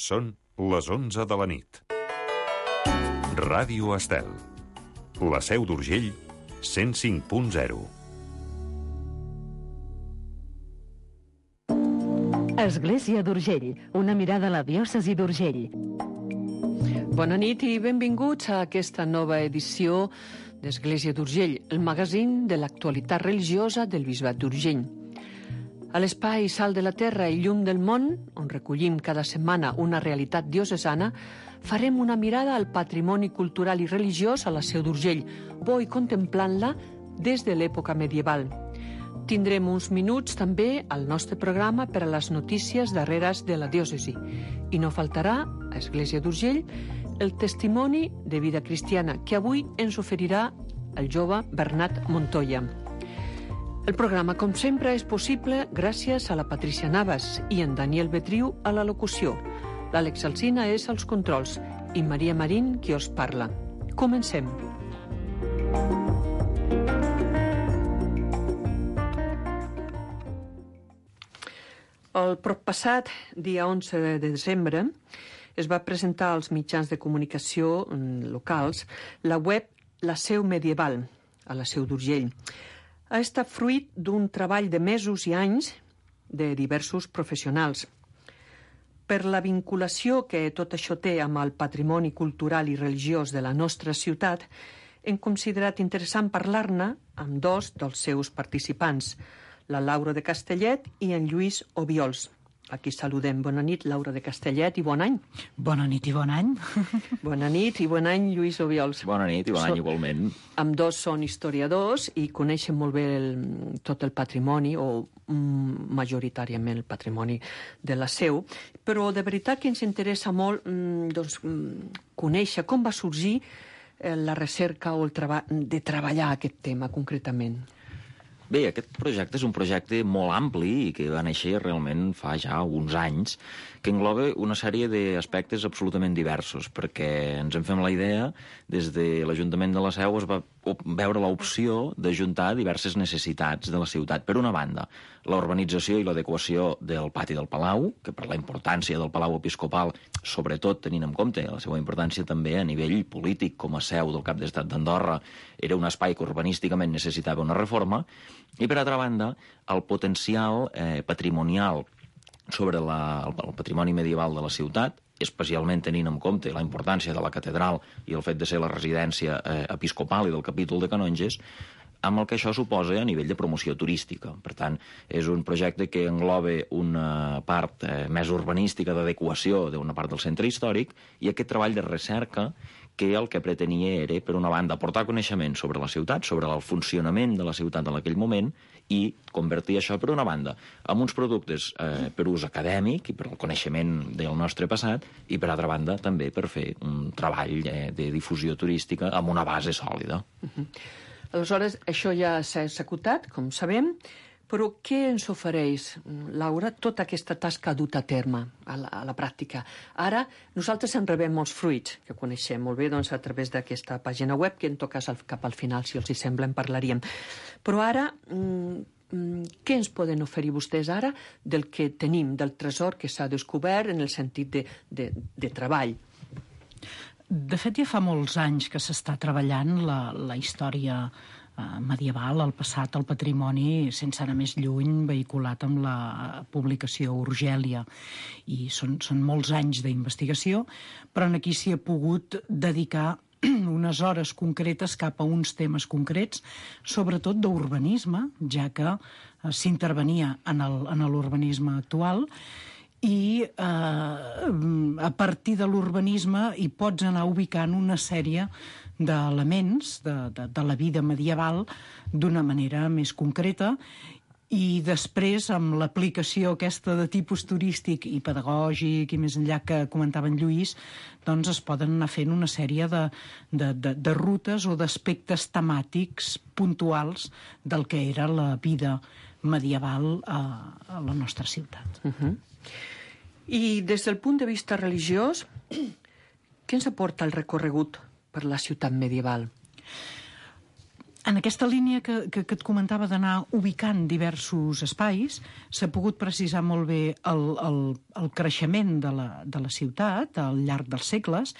Són les 11 de la nit. Ràdio Estel. La Seu d'Urgell, 105.0. Església d'Urgell, una mirada a la diòcesi d'Urgell. Bona nit i benvinguts a aquesta nova edició d'Església d'Urgell, el magazín de l'actualitat religiosa del Bisbat d'Urgell. A l'espai Sal de la Terra i Llum del Món, on recollim cada setmana una realitat diocesana, farem una mirada al patrimoni cultural i religiós a la Seu d'Urgell, bo i contemplant-la des de l'època medieval. Tindrem uns minuts també al nostre programa per a les notícies darreres de la diòcesi. I no faltarà, a Església d'Urgell, el testimoni de vida cristiana que avui ens oferirà el jove Bernat Montoya. El programa, com sempre, és possible gràcies a la Patricia Navas i en Daniel Betriu a la locució. L'Àlex Alsina és als controls i Maria Marín qui us parla. Comencem. El proppassat dia 11 de desembre es va presentar als mitjans de comunicació locals la web La Seu Medieval, a la Seu d'Urgell. Ha estat fruit d'un treball de mesos i anys de diversos professionals. Per la vinculació que tot això té amb el patrimoni cultural i religiós de la nostra ciutat, hem considerat interessant parlar-ne amb dos dels seus participants, la Laura de Castellet i en Lluís Obiols. Aquí saludem. Bona nit, Laura de Castellet, i bon any. Bona nit i bon any. Bona nit i bon any, Lluís Obiols. Bona nit i bon any igualment. Ambdós són historiadors i coneixen molt bé tot el patrimoni, o majoritàriament el patrimoni de la Seu, però de veritat que ens interessa molt conèixer com va sorgir la recerca o de treballar aquest tema concretament. Bé, aquest projecte és un projecte molt ampli i que va néixer realment fa ja uns anys, que engloba una sèrie d'aspectes absolutament diversos, perquè ens en fem la idea, des de l'Ajuntament de la Seu es va veure l'opció d'ajuntar diverses necessitats de la ciutat. Per una banda, la urbanització i l'adequació del pati del Palau, que per la importància del Palau Episcopal, sobretot tenint en compte la seva importància també a nivell polític com a seu del cap d'estat d'Andorra, era un espai que urbanísticament necessitava una reforma, i per altra banda, el potencial patrimonial sobre el patrimoni medieval de la ciutat, especialment tenint en compte la importància de la catedral i el fet de ser la residència episcopal i del capítol de canonges, amb el que això suposa a nivell de promoció turística. Per tant, és un projecte que engloba una part més urbanística d'adequació d'una part del centre històric i aquest treball de recerca que el que pretenia era, per una banda, aportar coneixement sobre la ciutat, sobre el funcionament de la ciutat en aquell moment i convertir això, per una banda, en uns productes per ús acadèmic i per al coneixement del nostre passat i, per altra banda, també per fer un treball de difusió turística amb una base sòlida. Aleshores, això ja s'ha executat, com sabem, però què ens ofereix, Laura, tota aquesta tasca duta a terme a la pràctica? Ara, nosaltres en rebem molts fruits, que coneixem molt bé doncs, a través d'aquesta pàgina web, que en tot cas cap al final, si els hi sembla, en parlaríem. Però ara, què ens poden oferir vostès ara del que tenim, del tresor que s'ha descobert en el sentit de treball? De fet, ja fa molts anys que s'està treballant la història medieval, el passat, el patrimoni, sense anar més lluny, vehiculat amb la publicació Urgèlia. I són molts anys d'investigació, però aquí s'hi ha pogut dedicar unes hores concretes cap a uns temes concrets, sobretot d'urbanisme, ja que s'intervenia en l'urbanisme actual, i a partir de l'urbanisme hi pots anar ubicant una sèrie d'elements de la vida medieval d'una manera més concreta i després, amb l'aplicació aquesta de tipus turístic i pedagògic i més enllà que comentava en Lluís, doncs es poden anar fent una sèrie de rutes o d'aspectes temàtics puntuals del que era la vida medieval a la nostra ciutat. I des del punt de vista religiós, què ens aporta el recorregut per la ciutat medieval? En aquesta línia que et comentava d'anar ubicant diversos espais, s'ha pogut precisar molt bé el creixement de la ciutat al llarg dels segles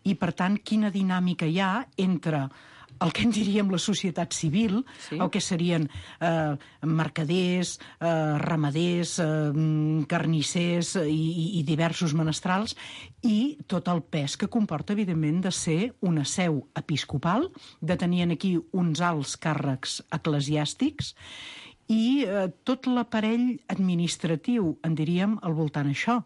i, per tant, quina dinàmica hi ha entre el que en diríem la societat civil, el que serien mercaders, ramaders, carnissers i diversos menestrals, i tot el pes que comporta, evidentment, de ser una seu episcopal, de tenir aquí uns alts càrrecs eclesiàstics i tot l'aparell administratiu, en diríem, al voltant d'això.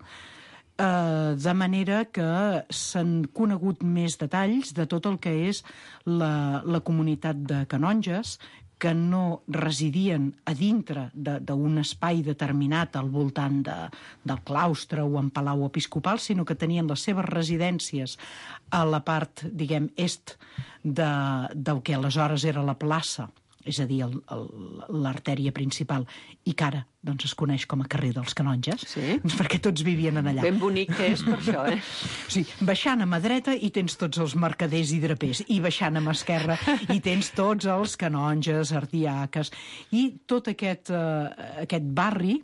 De manera que s'han conegut més detalls de tot el que és la comunitat de canonges, que no residien a dintre d'un espai determinat al voltant del claustre o en palau episcopal, sinó que tenien les seves residències a la part, diguem, est del que aleshores era la plaça, és a dir, l'artèria principal, i que ara doncs, es coneix com a carrer dels Canonges, perquè tots vivien allà. Ben bonic que és per això, eh? Sí, baixant a mà dreta hi tens tots els mercaders i drapers, i baixant a mà esquerra hi tens tots els canonges, ardiaques, i tot aquest barri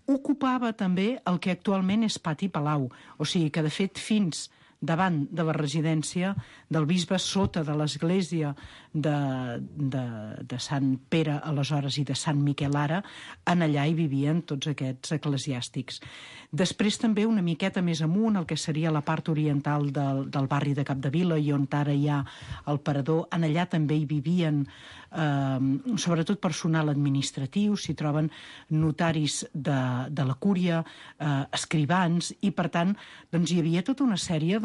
ocupava també el que actualment és Pati Palau, o sigui que, de fet, fins davant de la residència del bisbe, sota de l'església de Sant Pere aleshores i de Sant Miquel ara, en allà hi vivien tots aquests eclesiàstics. Després també una miqueta més amunt, el que seria la part oriental del barri de Capdevila, i on ara hi ha el Parador, en allà també hi vivien sobretot personal administratiu, s'hi troben notaris de la cúria, escrivans, i per tant doncs, hi havia tota una sèrie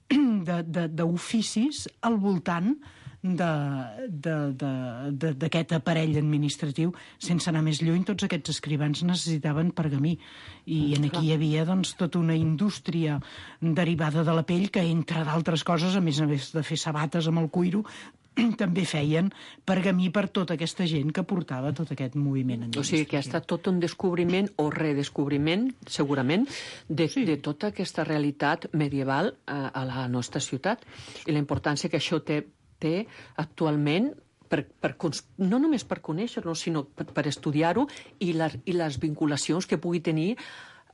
d'oficis al voltant d'aquest aparell administratiu. Sense anar més lluny, tots aquests escrivans necessitaven pergamí, i aquí hi havia doncs, tota una indústria derivada de la pell que, entre d'altres coses, a més de fer sabates amb el cuiro, també feien pergamí per tota aquesta gent que portava tot aquest moviment administratiu. O sigui que ha estat tot un descobriment o redescobriment, segurament, de tota aquesta realitat medieval a la nostra ciutat, i la importància que això té actualment, no només per conèixer-lo, sinó per estudiar-ho, i les vinculacions que pugui tenir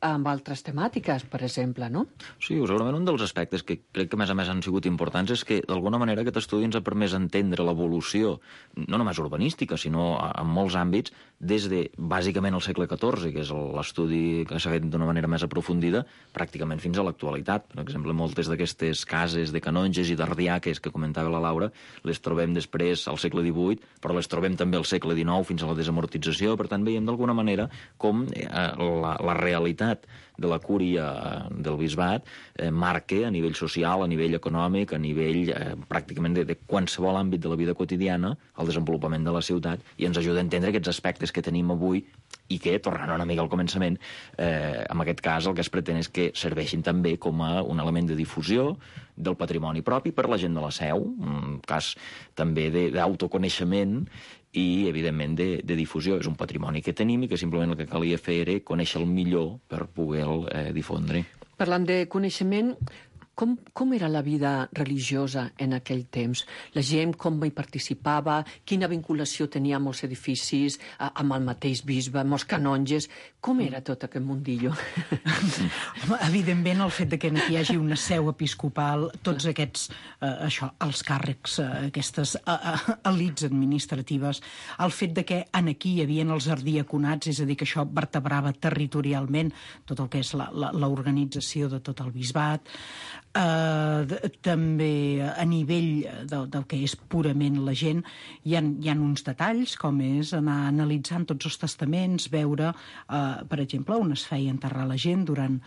amb altres temàtiques, per exemple, no? Sí, segurament un dels aspectes que crec que, a més, han sigut importants és que, d'alguna manera, aquest estudi ens ha permès entendre l'evolució, no només urbanística, sinó en molts àmbits, des de, bàsicament, el segle XIV, que és l'estudi que s'ha fet d'una manera més aprofundida, pràcticament fins a l'actualitat. Per exemple, moltes d'aquestes cases de canonges i d'ardiaques que comentava la Laura, les trobem després al segle XVIII, però les trobem també al segle XIX, fins a la desamortització. Per tant, veiem d'alguna manera com la realitat de la cúria del bisbat marca a nivell social, a nivell econòmic, a nivell pràcticament de qualsevol àmbit de la vida quotidiana, el desenvolupament de la ciutat, i ens ajuda a entendre aquests aspectes que tenim avui i que, tornant una mica al començament, en aquest cas el que es pretén és que serveixin també com a un element de difusió del patrimoni propi per la gent de la Seu, un cas també d'autoconeixement i, evidentment, de difusió. És un patrimoni que tenim i que simplement el que calia fer era conèixer-lo millor per poder-lo difondre. Parlant de coneixement, com era la vida religiosa en aquell temps? La gent com hi participava? Quina vinculació tenia amb els edificis, amb el mateix bisbe, amb els canonges? Com era tot aquest mundillo? Evidentment, el fet que aquí hi hagi una seu episcopal, tots aquests, els càrrecs, aquestes elits administratives, el fet que aquí hi havia els ardiaconats, és a dir, que això vertebrava territorialment tot el que és l'organització de tot el bisbat, també a nivell del que és purament la gent, hi ha uns detalls, com és anar analitzant tots els testaments, veure, per exemple, on es feia enterrar la gent. Durant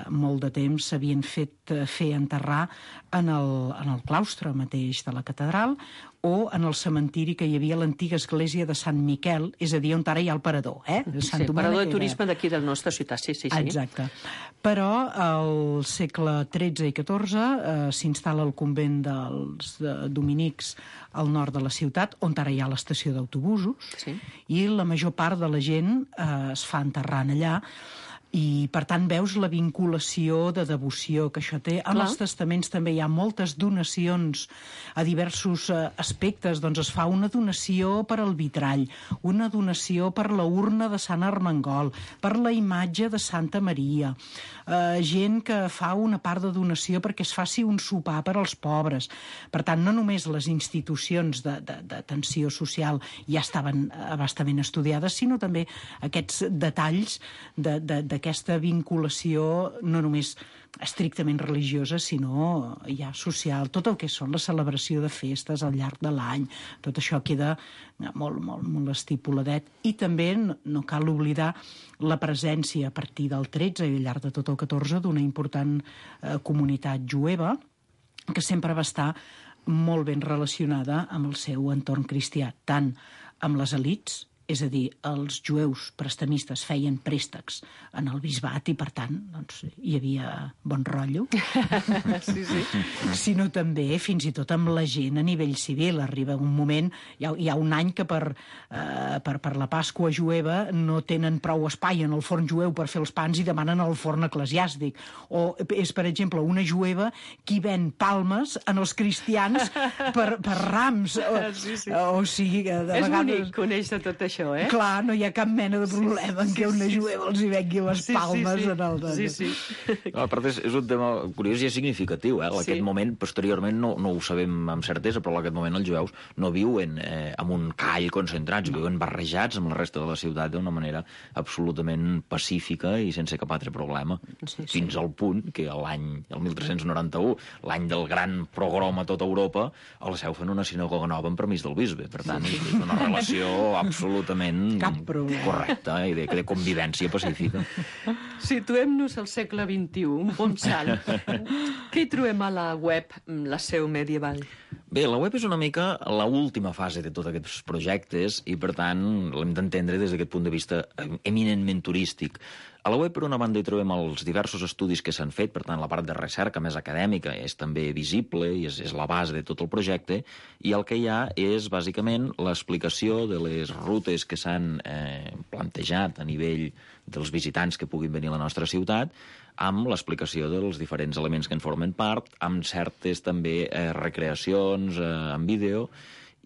molt de temps s'havien fet fer enterrar en el claustre mateix de la catedral, o en el cementiri que hi havia a l'antiga església de Sant Miquel, és a dir, on ara hi ha el Parador. Sí, el Parador de turisme d'aquí de la nostra ciutat, sí. Exacte. Però al segle XIII i XIV s'instal·la el convent dels dominics al nord de la ciutat, on ara hi ha l'estació d'autobusos, i la major part de la gent es fa enterrant allà. I, per tant, veus la vinculació de devoció que això té. En els testaments també hi ha moltes donacions a diversos aspectes. Doncs es fa una donació per al vitrall, una donació per la urna de Sant Armengol, per la imatge de Santa Maria, gent que fa una part de donació perquè es faci un sopar per als pobres. Per tant, no només les institucions d'atenció social ja estaven abastament estudiades, sinó també aquests detalls d'aquesta vinculació no només estrictament religiosa, sinó ja social. Tot el que són la celebració de festes al llarg de l'any, tot això queda molt estipuladet. I també no cal oblidar la presència a partir del 13 i al llarg de tot el 14 d'una important comunitat jueva que sempre va estar molt ben relacionada amb el seu entorn cristià, tant amb les elits, és a dir, els jueus prestamistes feien préstecs en el bisbat i, per tant, doncs, hi havia bon rotllo. Sí. Sinó també, fins i tot amb la gent a nivell civil. Arriba un moment, hi ha un any que per la Pasqua jueva no tenen prou espai en el forn jueu per fer els pans i demanen el forn eclesiàstic. O és, per exemple, una jueva qui ven palmes en els cristians per rams. Sí. O sigui, de vegades... És bonic conèixer tot això. Clar, no hi ha cap mena de problema en què una jueva els hi vengui les palmes en el... Sí. No, a part, és un tema curiós i significatiu. Aquest moment, posteriorment, no ho sabem amb certesa, però en aquest moment els jueus no viuen en un call concentrats, viuen barrejats amb la resta de la ciutat d'una manera absolutament pacífica i sense cap altre problema. Fins al punt que el 1391, l'any del gran progrom a tota Europa, a la Seu fan una sinagoga nova amb permís del bisbe. Per tant, és una relació absolutament correcta i de convivència pacífica. Situem-nos al segle XXI, un bon salt. Què hi trobem a la web, la Seu medieval? Bé, la web és una mica l'última fase de tots aquests projectes i, per tant, l'hem d'entendre des d'aquest punt de vista eminentment turístic. A la web, per una banda, hi trobem els diversos estudis que s'han fet, per tant, la part de recerca més acadèmica és també visible i és la base de tot el projecte, i el que hi ha és, bàsicament, l'explicació de les rutes que s'han plantejat a nivell dels visitants que puguin venir a la nostra ciutat, amb l'explicació dels diferents elements que en formen part, amb certes també recreacions en vídeo,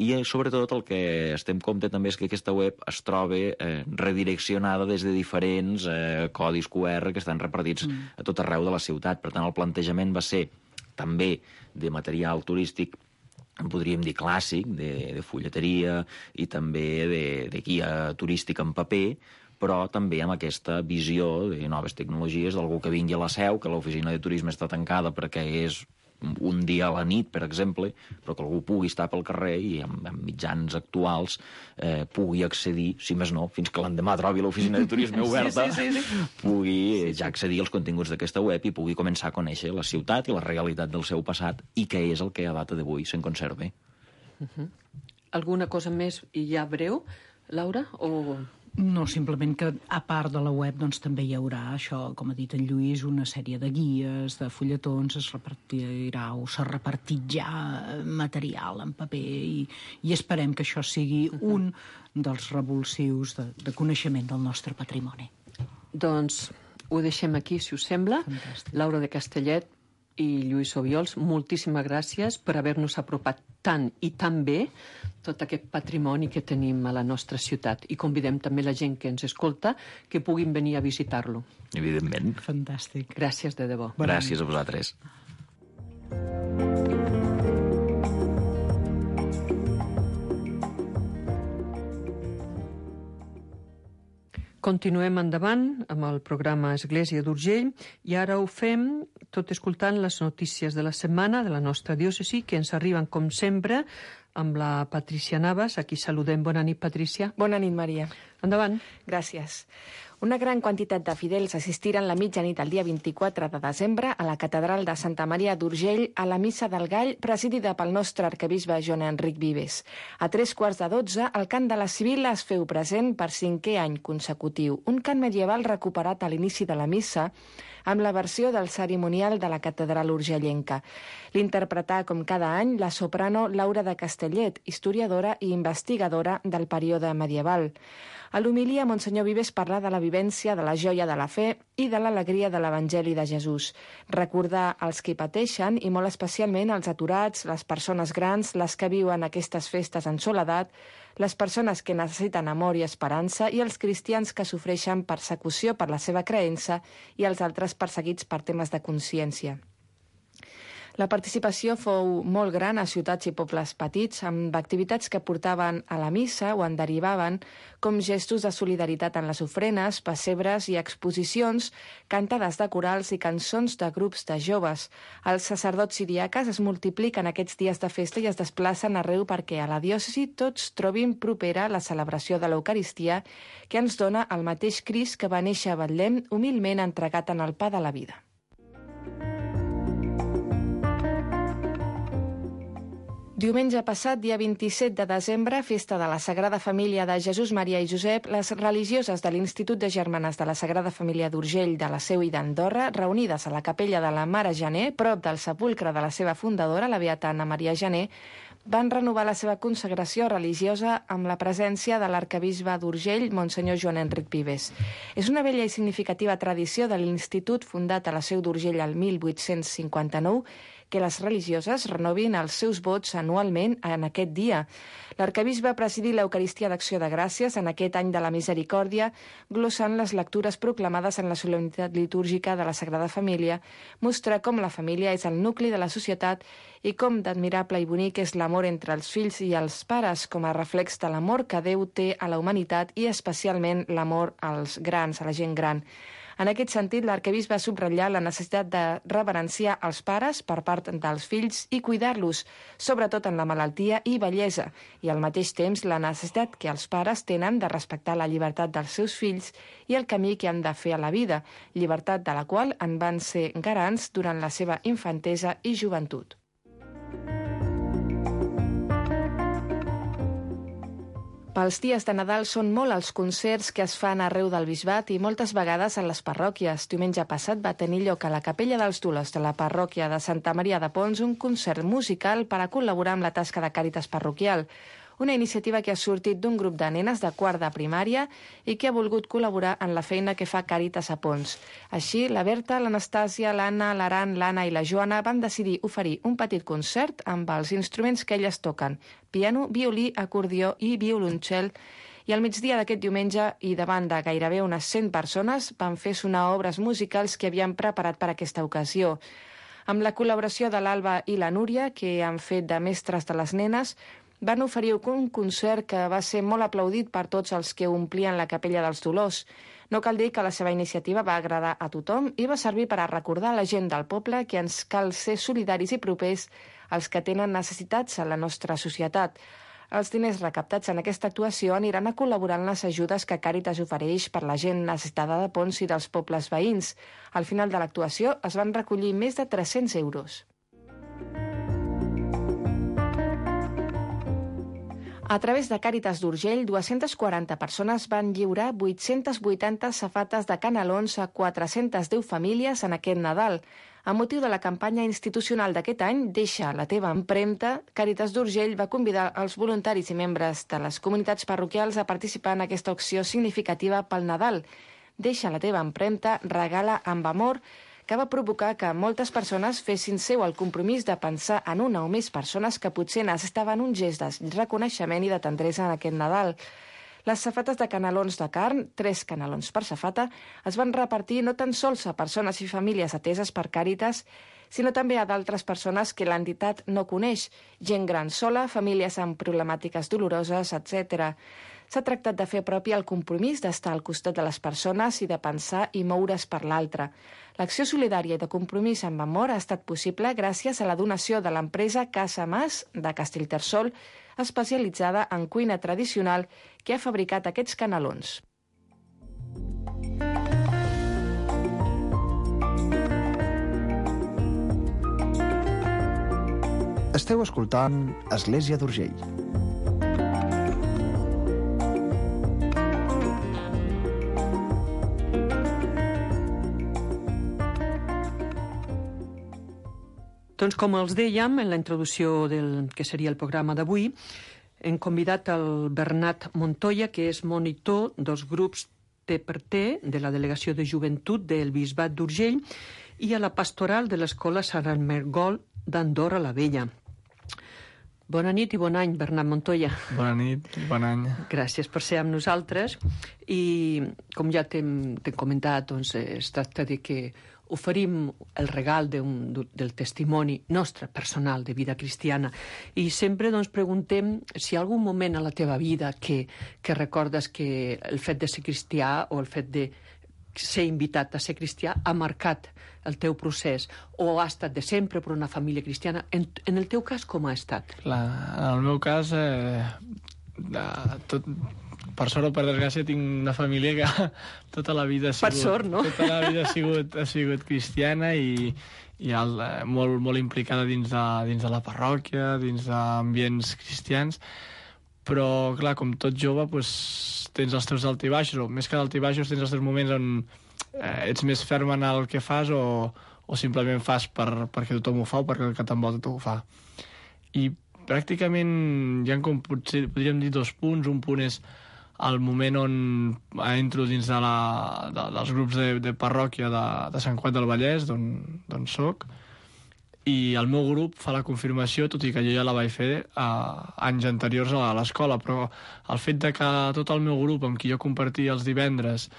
i sobretot el que estem compte també és que aquesta web es troba redireccionada des de diferents codis QR que estan repartits a tot arreu de la ciutat. Per tant, el plantejament va ser també de material turístic, podríem dir clàssic, de fulleteria i també de guia turística en paper, però també amb aquesta visió de noves tecnologies d'algú que vingui a la Seu, que l'oficina de turisme està tancada perquè és un dia a la nit, per exemple, però que algú pugui estar pel carrer i amb mitjans actuals pugui accedir, si més no, fins que l'endemà trobi l'oficina de turisme oberta, pugui ja accedir als continguts d'aquesta web i pugui començar a conèixer la ciutat i la realitat del seu passat i què és el que a data d'avui se'n conserva. Alguna cosa més i ja breu, Laura? No, simplement que a part de la web doncs, també hi haurà això, com ha dit en Lluís, una sèrie de guies, de fulletons, es repartirà o s'ha repartit ja material en paper i esperem que això sigui un dels revulsius de coneixement del nostre patrimoni. Doncs ho deixem aquí, si us sembla. Fantàstic. Laura de Castellet i Lluís Obiols, moltíssimes gràcies per haver-nos apropat tant i tan bé tot aquest patrimoni que tenim a la nostra ciutat. I convidem també la gent que ens escolta que puguin venir a visitar-lo. Evidentment. Fantàstic. Gràcies de debò. Gràcies a vosaltres. Continuem endavant amb el programa Església d'Urgell i ara ho fem tot escoltant les notícies de la setmana de la nostra diòcesi que ens arriben, com sempre, amb la Patrícia Navas. Aquí saludem. Bona nit, Patrícia. Bona nit, Maria. Endavant. Gràcies. Una gran quantitat de fidels assistiren la mitjanit del dia 24 de desembre a la catedral de Santa Maria d'Urgell a la Missa del Gall, presidida pel nostre arquebisbe Joan Enric Vives. A 3:15, el cant de la Sibil·la es feu present per 5è any consecutiu. Un cant medieval recuperat a l'inici de la missa amb la versió del cerimonial de la catedral urgellenca. L'interpretà, com cada any, la soprano Laura de Castellet, historiadora i investigadora del període medieval. A l'homilia, Monsenyor Vives parla de la vivència de la joia de la fe i de l'alegria de l'Evangeli de Jesús. Recordar els que pateixen, i molt especialment els aturats, les persones grans, les que viuen aquestes festes en soledat, les persones que necessiten amor i esperança i els cristians que sofreixen persecució per la seva creença i els altres perseguits per temes de consciència. La participació fou molt gran a ciutats i pobles petits, amb activitats que portaven a la missa o en derivaven, com gestos de solidaritat en les ofrenes, pessebres i exposicions, cantades de corals i cançons de grups de joves. Els sacerdots i diaques es multipliquen aquests dies de festa i es desplacen arreu perquè a la diòcesi tots trobin propera la celebració de l'Eucaristia, que ens dona el mateix Crist que va néixer a Betlem, humilment entregat en el pa de la vida. Diumenge passat, dia 27 de desembre, festa de la Sagrada Família de Jesús, Maria i Josep, les religioses de l'Institut de Germanes de la Sagrada Família d'Urgell, de la Seu i d'Andorra, reunides a la capella de la Mare Janer, prop del sepulcre de la seva fundadora, la beata Anna Maria Janer, van renovar la seva consagració religiosa amb la presència de l'arquebisbe d'Urgell, Monsenyor Joan Enric Vives. És una vella i significativa tradició de l'Institut, fundat a la Seu d'Urgell el 1859, que les religioses renovin els seus vots anualment en aquest dia. L'arquebisbe va presidir l'Eucaristia d'Acció de Gràcies en aquest any de la Misericòrdia, glossant les lectures proclamades en la solemnitat litúrgica de la Sagrada Família, mostrar com la família és el nucli de la societat i com d'admirable i bonic és l'amor entre els fills i els pares, com a reflex de l'amor que Déu té a la humanitat i especialment l'amor als grans, a la gent gran. En aquest sentit, l'arquebisbe va subratllar la necessitat de reverenciar els pares per part dels fills i cuidar-los, sobretot en la malaltia i vellesa, i al mateix temps la necessitat que els pares tenen de respectar la llibertat dels seus fills i el camí que han de fer a la vida, llibertat de la qual en van ser garants durant la seva infantesa i joventut. Pels dies de Nadal són molt els concerts que es fan arreu del bisbat i moltes vegades a les parròquies. Diumenge passat va tenir lloc a la Capella dels Dolors de la parròquia de Santa Maria de Pons un concert musical per a col·laborar amb la tasca de Càritas parroquial. Una iniciativa que ha sortit d'un grup de nenes de quart de primària i que ha volgut col·laborar en la feina que fa Càritas a Pons. Així, la Berta, l'Anastàsia, l'Anna, l'Aran, l'Anna i la Joana van decidir oferir un petit concert amb els instruments que elles toquen: piano, violí, acordió i violoncel, i al migdia d'aquest diumenge i davant de gairebé unes 100 persones van fer sonar obres musicals que havien preparat per aquesta ocasió. Amb la col·laboració de l'Alba i la Núria, que han fet de mestres de les nenes, van oferir un concert que va ser molt aplaudit per tots els que omplien la Capella dels Dolors. No cal dir que la seva iniciativa va agradar a tothom i va servir per a recordar a la gent del poble que ens cal ser solidaris i propers als que tenen necessitats a la nostra societat. Els diners recaptats en aquesta actuació aniran a col·laborar en les ajudes que Càritas ofereix per la gent necessitada de Pons i dels pobles veïns. Al final de l'actuació es van recollir més de 300 euros. A través de Càritas d'Urgell, 240 persones van lliurar 880 safates de canelons a 410 famílies en aquest Nadal. A motiu de la campanya institucional d'aquest any, Deixa la teva empremta, Càritas d'Urgell va convidar els voluntaris i membres de les comunitats parroquials a participar en aquesta acció significativa pel Nadal. Deixa la teva empremta, regala amb amor, que va provocar que moltes persones fessin seu el compromís de pensar en una o més persones que potser necessitaven un gest de reconeixement i de tendresa en aquest Nadal. Les safates de canelons de carn, 3 canelons per safata, es van repartir no tan sols a persones i famílies ateses per Càritas, sinó també a d'altres persones que l'entitat no coneix, gent gran sola, famílies amb problemàtiques doloroses, etc. S'ha tractat de fer propi el compromís d'estar al costat de les persones i de pensar i moure's per l'altre. L'acció solidària i de compromís amb amor ha estat possible gràcies a la donació de l'empresa Casa Mas de Castellterçol, especialitzada en cuina tradicional, que ha fabricat aquests canelons. Esteu escoltant Església d'Urgell. Doncs com els dèiem en la introducció del que seria el programa d'avui, hem convidat el Bernat Montoya, que és monitor dels grups T de la Delegació de Joventut del Bisbat d'Urgell i a la pastoral de l'Escola Sant Ermengol d'Andorra la Vella. Bona nit i bon any, Bernat Montoya. Bona nit i bon any. Gràcies per ser amb nosaltres. I com ja t'hem comentat, doncs, es tracta de que oferim el regal del testimoni nostre, personal, de vida cristiana. I sempre doncs, preguntem si hi ha algun moment a la teva vida que recordes que el fet de ser cristià o el fet de ser invitat a ser cristià ha marcat el teu procés o ha estat de sempre per una família cristiana. En el teu cas, com ha estat? En el meu cas, per sort o per desgràcia, tinc una família que tota la vida ha sigut... Per sort, no? Tota la vida ha sigut cristiana i molt, molt implicada dins de la parròquia, dins d'ambients cristians, però, clar, com tot jove, doncs, tens els teus altibaixos, o més que d'altibaixos, tens els teus moments on ets més ferm en el que fas o simplement fas perquè tothom ho fa o perquè el que t'envolta ho fa. I pràcticament hi ha com podríem dir 2 punts. Un punt és el moment on entro dins dels grups de parròquia de Sant Cugat del Vallès, d'on soc, i el meu grup fa la confirmació, tot i que jo ja la vaig fer anys anteriors a l'escola, però el fet de que tot el meu grup amb qui jo compartia els divendres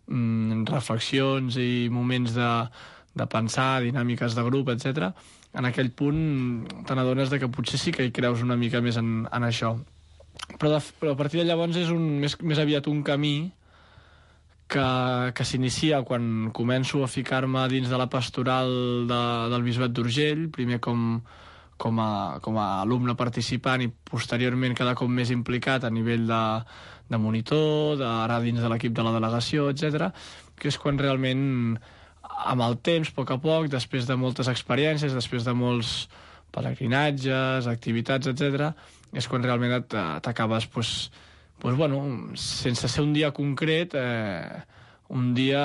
reflexions i moments de pensar, dinàmiques de grup, etc., en aquell punt te n'adones que potser sí que hi creus una mica més en això. Però a partir de llavors és més aviat un camí que s'inicia quan començo a ficar-me dins de la pastoral del Bisbat d'Urgell, primer com a alumne participant i posteriorment cada cop més implicat a nivell de monitor, ara dins de l'equip de la delegació, etc., que és quan realment, amb el temps, a poc, després de moltes experiències, després de molts pelegrinatges, activitats, etc., és quan realment t'acabes, sense ser un dia concret, un dia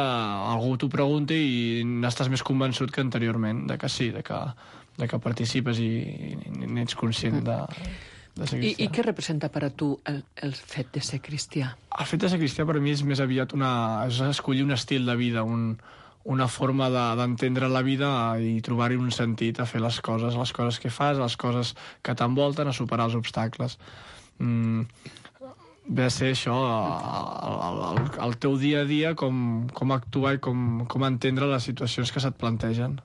algú t'ho pregunta i n'estàs més convençut que anteriorment, de que sí, de que participes i n'ets conscient de ser cristià. I què representa per a tu el fet de ser cristià? El fet de ser cristià per mi és més aviat és escollir un estil de vida, una forma d'entendre la vida i trobar-hi un sentit a fer les coses que fas, les coses que t'envolten, a superar els obstacles. Ve a ser això, el teu dia a dia, com actuar i com entendre les situacions que se't plantegen.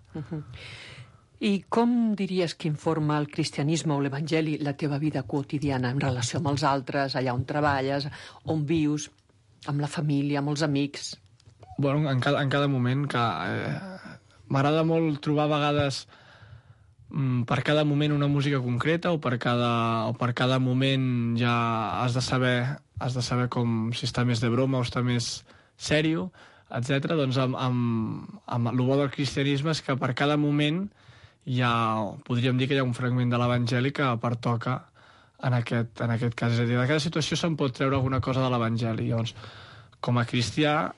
I com diries que informa el cristianisme o l'evangeli la teva vida quotidiana en relació amb els altres, allà on treballes, on vius, amb la família, amb els amics? Bueno, en cada moment, que m'agrada molt trobar a vegades per cada moment una música concreta o per cada moment ja has de saber com si està més de broma o està més sèrio, etc. Doncs amb el bo del cristianisme és que per cada moment podríem dir que hi ha un fragment de l'Evangeli que pertoca en aquest cas. És a dir, de cada situació se'n pot treure alguna cosa de l'Evangeli. Llavors, com a cristià,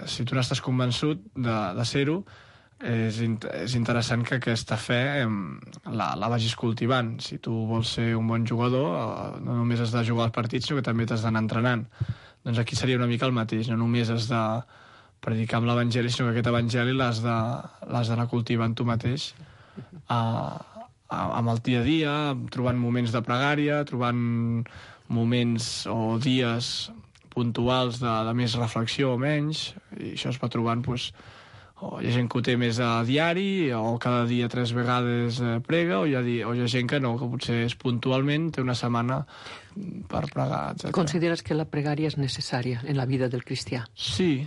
si tu n'estàs convençut de ser-ho, és interessant que aquesta fe la vagis cultivant. Si tu vols ser un bon jugador, no només has de jugar als partits, sinó que també t'has d'anar entrenant. Doncs aquí seria una mica el mateix. No només has de predicar amb l'Evangeli, sinó que aquest Evangeli l'has d'anar cultivant tu mateix amb el dia a dia, trobant moments de pregària, trobant moments o dies puntuals de més reflexió o menys, i això es va trobant, o hi ha gent que ho té més a diari, o cada dia 3 vegades prega, o hi ha gent que no, que potser és puntualment, té una setmana per pregar, etc. Consideres que la pregària és necessària en la vida del cristià? Sí,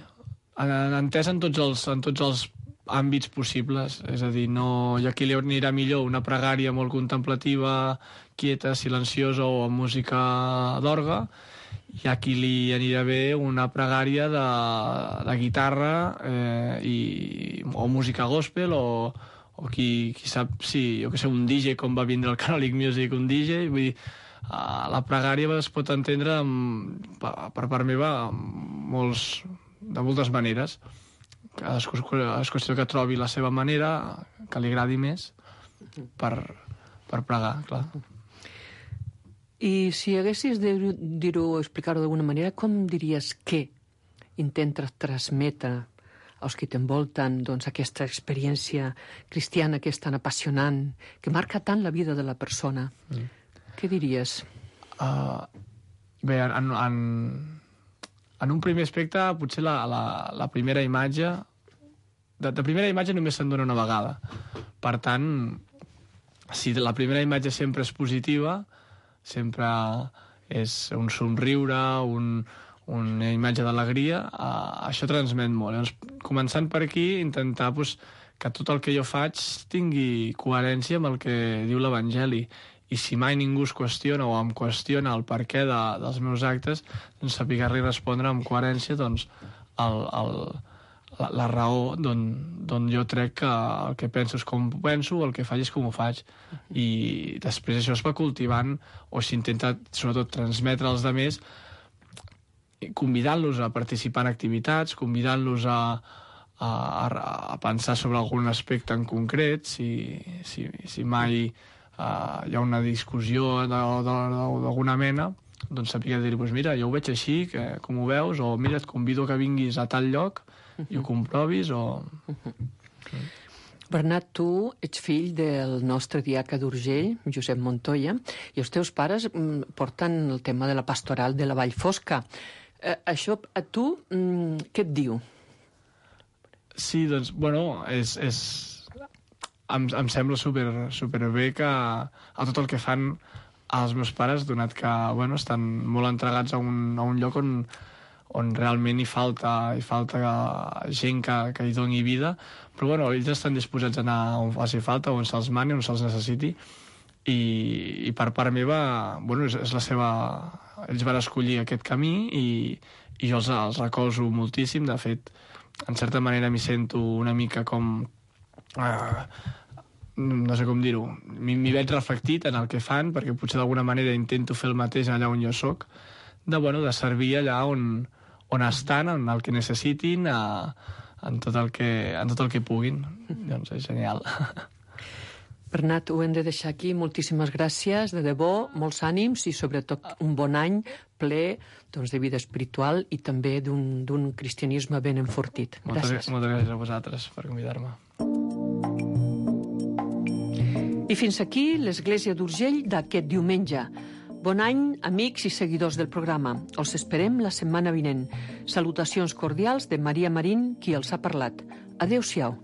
entès en tots els àmbits possibles, és a dir, no hi ha qui li anirà millor una pregària molt contemplativa, quieta, silenciosa o amb música d'orgue, hi ha qui li anirà bé una pregària de guitarra o música gospel o qui sap, sí, jo que sé, un DJ, com va vindre el Catholic Music, un DJ, vull dir, la pregària es pot entendre per part meva de moltes maneres. És qüestió que trobi la seva manera, que li agradi més. per pregar, clar. I si haguessis de dir-ho, explicar-ho d'alguna manera, com diries que intentes transmetre als que t'envolten aquesta experiència cristiana que és tan apassionant, que marca tant la vida de la persona? Què diries? Bé, en un primer aspecte, potser la primera imatge... De primera imatge només se'n dona una vegada. Per tant, si la primera imatge sempre és positiva, sempre és un somriure, una imatge d'alegria, això transmet molt. Llavors, començant per aquí, intentar que tot el que jo faig tingui coherència amb el que diu l'Evangeli. I si mai ningú es qüestiona o em qüestiona el perquè dels meus actes, doncs saber-li respondre amb coherència la raó d'on jo crec que el que penso és com penso, el que faig és com ho faig. I després això es va cultivant, o s'intenta sobretot transmetre als altres, convidant-los a participar en activitats, convidant-los a pensar sobre algun aspecte en concret, si mai hi ha una discussió d'alguna mena, doncs saber dir, mira, jo ho veig així, com ho veus, o mira, et convido que vinguis a tal lloc i ho comprovis, o... Bernat, tu ets fill del nostre diaca d'Urgell, Josep Montoya, i els teus pares porten el tema de la pastoral de la Vall Fosca. Això a tu què et diu? Sí, doncs, bueno, em sembla superbé que a tot el que fan els meus pares, donat que estan molt entregats a un lloc on realment hi falta gent que hi doni vida, però ells estan disposats a anar on faci falta, on se'ls mani, on se'ls necessiti, i per part meva, és la seva... Ells van escollir aquest camí i jo els recolzo moltíssim. De fet, en certa manera m'hi sento una mica com... no sé com dir-ho. M'hi veig reflectit en el que fan, perquè potser d'alguna manera intento fer el mateix allà on jo soc, de servir allà on estan, en el que necessitin, en tot el que puguin. Doncs és genial. Bernat, ho hem de deixar aquí. Moltíssimes gràcies, de debò, molts ànims i sobretot un bon any ple de vida espiritual i també d'un cristianisme ben enfortit. Gràcies. Moltes gràcies a vosaltres per convidar-me. I fins aquí l'Església d'Urgell d'aquest diumenge. Bon any, amics i seguidors del programa. Els esperem la setmana vinent. Salutacions cordials de Maria Marín, qui els ha parlat. Adéu-siau.